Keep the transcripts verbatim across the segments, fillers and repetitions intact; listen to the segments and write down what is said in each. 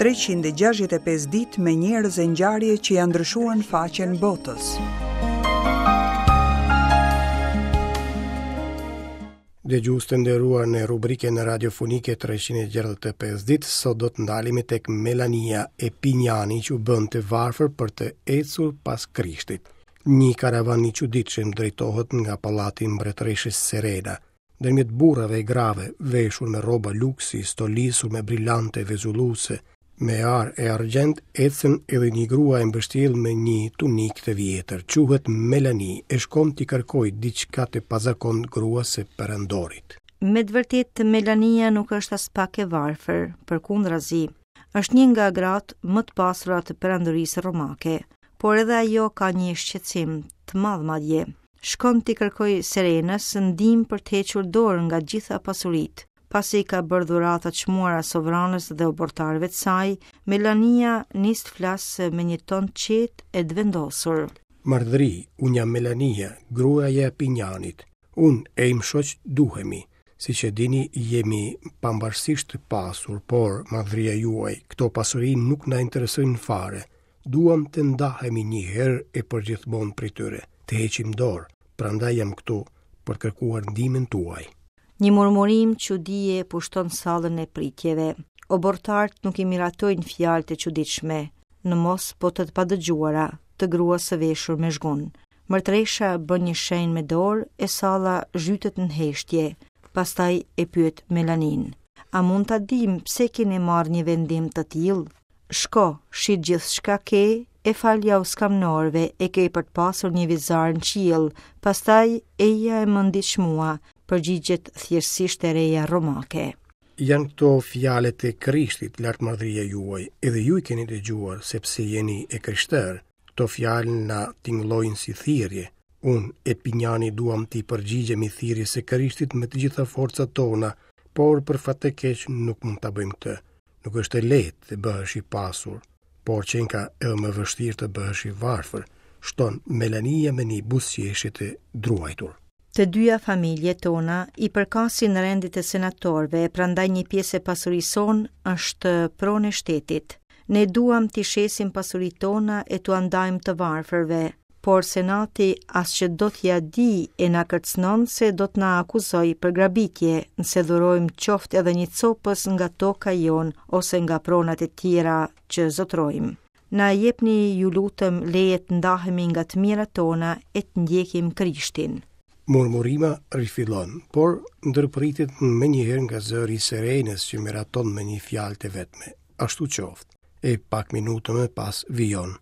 treqind e gjashtëdhjetë e pesë ditë me njerëz e ngjarje që janë ndryshuar në faqen botës. Dëgjues të nderuar, në rubrikën radiofonike treqind e gjashtëdhjetë e pesë ditë, sot do të ndalemi tek Melania e Pinjani që u bën të varfër për të ecur pas Krishtit. Një karavan i çuditshëm drejtohet nga pallati i mbretëreshës Serena. Ndërmjet burrave e grave, veshur me rroba luksi, stolisur me brillante vezulluese, me ar e argjend, ecën edhe një grua e mbështjellë me një tunikë të vjetër. Quhet Melani e shkon t'i kërkojë diçka të pazakont gruas së perandorit. Me të vërtetë Melania nuk është as pak e varfër, përkundrazi, është një nga gratë më të pasura të perandorisë romake, por edhe ajo ka një shqetësim të madh madje. Shkon t'i kërkoj Serenës ndihmë për të hequr dorë nga gjitha pasuritë. Pasi i ka bërë dhurata të çmuara sovranës dhe obortarëve të saj, Melania nis të flasë me një ton të qetë e të vendosur. Mardhri, unë jam Melania, gruaja e Pinjanit. Unë e im shoq duhemi. Siç e dini, jemi pambarësisht të pasur, por, madhëria juaj, këto pasuri nuk na interesojnë fare. Duam të ndahemi një herë e përgjithmonë prej tyre, të heqim dorë, prandaj jam këtu për kërkuar ndihmën tuaj. Një murmurim çudie pushton sallën e pritjeve. Obortarët nuk i miratojnë fjalët e çuditshme, në mos po të padëgjuara, të gruas së veshur me zhgun. Mërtresha bën një shenjë me dorë e salla zhytet në heshtje. Pastaj e pyet Melanin: A mund ta dim pse keni marrë një vendim të tillë? Shko, shit gjithçka ke, e falja u skamnorëve, e ke për të pasur një vizar në qiell, pastaj eja e më ndiq mua, përgjigjet thjeshtësisht e reja romake. Janë këto fjalët e Krishtit, lartmadhëria juaj, edhe ju i keni dëgjuar, sepse jeni e krishterë. Këto fjalë na tingëllojnë si thirrje. Unë e Pinjani duam t'i përgjigjemi thirrjes së Krishtit me të gjitha forcat tona, por për fat të keq nuk mund ta bëjmë këtë. Nuk është e lehtë të bëhesh i pasur, por qenka edhe më vështirë të bëhesh i varfër, shton Melania me një buzëqeshje të druajtur. Të dyja familjet tona i përkasin rendit të senatorëve, prandaj një pjesë e pasurisë sonë është pronë e shtetit. Ne duam t'i shesim pasuritë tona e t'ua ndajmë të varfërve, por senati as që do t'ja di e na kërcënon se do t'na akuzoj për grabitje, nëse dhurojmë qoftë edhe një copës nga toka jonë ose nga pronat e tjera që zotrojmë. Na jepni ju lutem leje të ndahemi nga të mirat tona e të ndjekim Krishtin. Murmurima rifillon, por ndërpritet menjëherë nga zëri i Serenës që miraton me një fjalë të vetme. Ashtu qoftë. E pak minuta më pas vijon.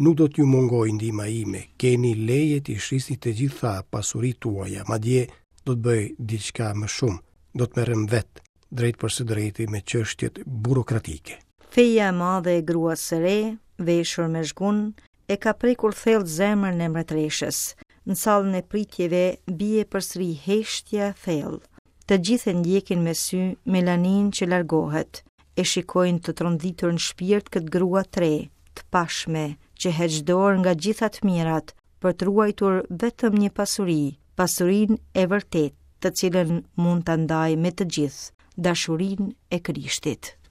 Nuk do t'ju mungoj ndihma ime, keni leje t'i shisni të gjitha pasuritë tuaja, madje do të bëj diçka më shumë, do të merrem vetë, drejt për së drejti me çështjet burokratike. Feja e madhe e gruas së re, veshur me zhgun, e ka prekur thellë zemrën e mbretëreshës. Në sallën e pritjeve bie përsëri heshtja e thellë. Të gjithë e ndjekin me sy Melanin që largohet, e shikojnë të tronditur në shpirt këtë grua të re, të pashme, që heq dorë nga gjitha të mirat për të ruajtur vetëm një pasuri, pasurinë e vërtetë, të cilën mund ta ndajë me të gjithë, dashurinë e Krishtit.